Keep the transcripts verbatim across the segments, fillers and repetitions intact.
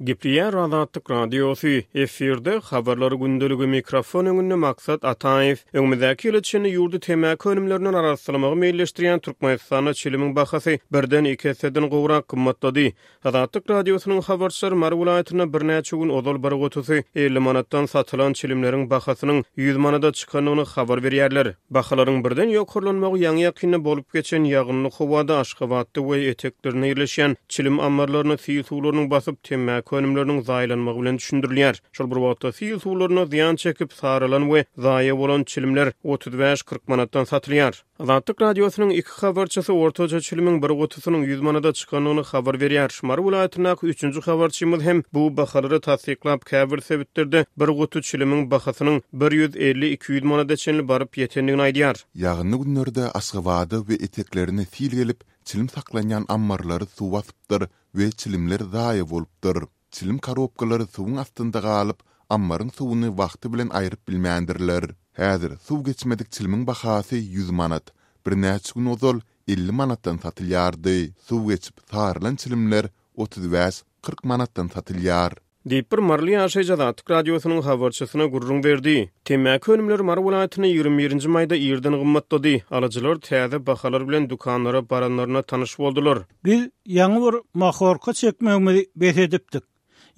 Gepleýär Azatlyk Radiosy, efirde Habarlar gündeligi, mikrofon öňünde Maksat Ataýew. Öňümizdäki ýyla çenli ýurdy temmäki önümlerinden arassalamagy meýilleşdirýän Türkmenistanda çilimiň bahasy birden iki esseden gowrak gymmatlady. Azatlyk Radiosynyň habarçylary Mary welaýatynda birnäçe gün ozal bir gutusy elli manatdan satylan çilimleriň bahasynyň ýüz manada çykandygyny habar berýärler. Bahalaryň birden ýokarlanmagy ýaňy-ýakynda bolup geçen ýagynly howada Aşgabatda we eteklerinde ýerleşýän çilim ammarlaryny sil suwlarynyň basyp, temmäki önümleriniň zaýalanmagy bilen düşündirilýär. Şol bir wagtda sil suwlaryna zyýan çekip, saralan we zaýa bolan çilimler otuz bäş-kyrk manatdan satylýar. Azatlyk Radiosynyň iki habarçysy ortaça çilimiň bir gutusynyň ýüz manada çykandygyny habar berýär. Mary welaýatyndaky üçünji habarçymyz hem bu bahalary tassyklap, käbir sebitlerde bir guty çilimiň bahasynyň bir ýüz elli-iki ýüz manada çenli baryp ýetendigini aýdýar. Ýagynly günlerde Aşgabada we eteklerine sil gelip, çilim saklanýan ammarlary suw basypdyr we çilimler zaýa bolupdyr. Çilim korobkalary suwuň astynda galyp, ammaryň suwuny wagty bilen aýryp bilmändirler. Häzir suw geçmedik çilimiň bahasy ýüz manat. Birnäçe gün ozal elli manatdan satylýardy. Suw geçip, sarylan çilimler otuz bäş, kyrk manatdan satylýar. Diýip, bir maryly ýaşaýjy Azatlyk Radiosynyň habarçysyna gürrüň berdi. Temmäki önümleri Mary welaýatynda ýigrimi birinji maýda irden gymmatlady. Alyjylar täze bahalar bilen dükanlara baranlaryna tanyş boldular. Biz ýaňy bir mahorka çekmegimizi bes edipdik.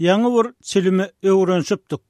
Ýaňy bir çilime öwrenişipdik.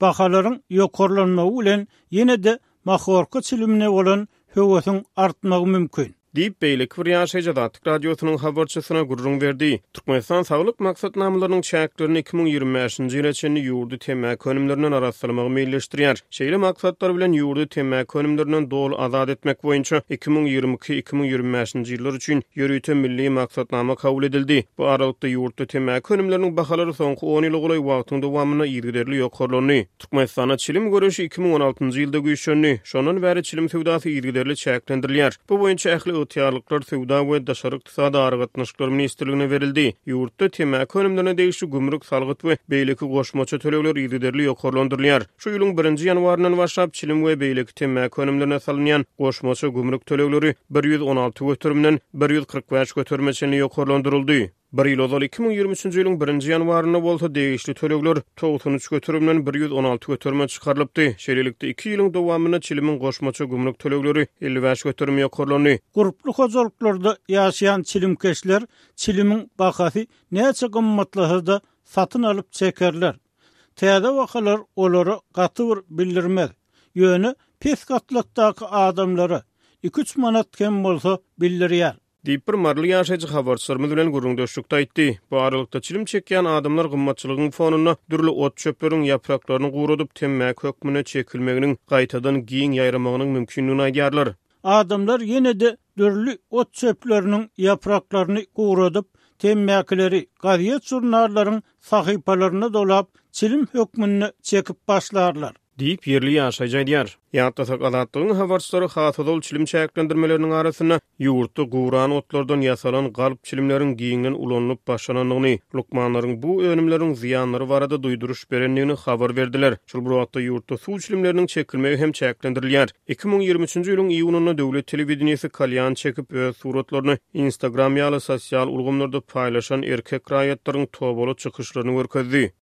Bahalaryň ýokarlanmagy bilen ýene-de mahorka çilimine bolan höwesiň artmagy mümkin. Diýip, beýleki bir ýaşaýjy Azatlyk Radiosynyň habarçysyna gürrüň berdi. Türkmenistan saglyk maksatnamalarynyň çäklerinde iki müň ýigrimi bäşinji ýyla çenli ýurdy temmäki önümlerinden arassalamagy meýilleşdirýär. Şeýle maksatlar bilen ýurdy temmäki önümlerinden doly azat etmek boýunça iki müň ýigrimi iki, iki müň ýigrimi bäşinji ýyllar üçin ýörite milli maksatnama kabul edildi. Bu aralykda ýurtda temmäki önümleriniň bahalary soňky on ýyla golaý wagtyň dowamynda yzygiderli ýokarlandy. Türkmenistanda çilim göreşi iki müň on altynjy ýylda güýçlendi. Şondan bäri çilim söwdasy yzygiderli çäklendirilýär. Bu boýunça ähli ygtyýarlyklar Söwda we daşary ykdysady aragatnaşyklar ministrligine berildi. Ýurtda temmäki önümlerine degişli gümrük, salgyt we beýleki goşmaça tölegler yzygiderli ýokarlandyrylýar. Şu ýylyň birinji ýanwaryndan başlap çilim we beýleki temmäki önümlerine salynýan goşmaça gümrük tölegleri bir ýüz on alty göterimden bir ýüz kyrk bäş göterime çenli ýokarlandyryldy. Bir ýyl ozal iki müň ýigrimi üçünji ýylyň birinji ýanwarynda bolsa degişli tölegler togsan üç göterimden bir ýüz on alty göterime çykarylypdy. Şeýlelikde, iki ýylyň dowamynda çilimiň goşmaça gümrük tölegleri elli bäş göterim ýokarlandy. Gurply hojalyklarda ýaşaýan çilimkeşler çilimiň bahasy näçe gymmatlasa-da satyn alyp çekerler. Täze bahalar olara gaty bir bildirmez. Ýöne pes gatlakdaky adamlara iki-üç manat hem bolsa bildirýär. Diýip, bir maryly ýaşaýjy habarçylarymyz bilen gürrüňdeşlikde aýtdy. Bu aralykda çilim çekýän adamlar gymmatçylygyň fonunda dürli ot-çöpleriň ýapraklaryny guradyp, temmäki hökmünde çekilmeginiň gaýtadan giň ýaýramagynyň mümkindigini aýdýarlar. Adamlar ýene-de dürli ot-çöpleriniň ýapraklaryny guradyp, temmäkileri gazet-žurnallaryň sahypalaryna dolap, çilim hökmünde çekip başlarlar. Diýip, ýerli ýaşaýjy aýdýar. Ýatlasak, Azatlygyň habarçylary has ozal çilim çäklendirmeleriniň arasynda ýurtda guran otlardan ýasalan galp çilimleriň giňden ulanylyp başlanandygyny, lukmanlaryň bu önümleriň zyýanlary barada duýduryş berendigini habar berdiler. Şol bir wagtda ýurtda suw çilimleriniň çekilmegi hem çäklendirilýär. Iki müň ýigrimi üçünji ýylyň iýunynda döwlet telewideniýesi kalýan çekip, öz suratlaryny Instagram ýaly sosial ulgamlarda paýlaşan erkek raýatlaryň tobaly çykyşlaryny görkezdi.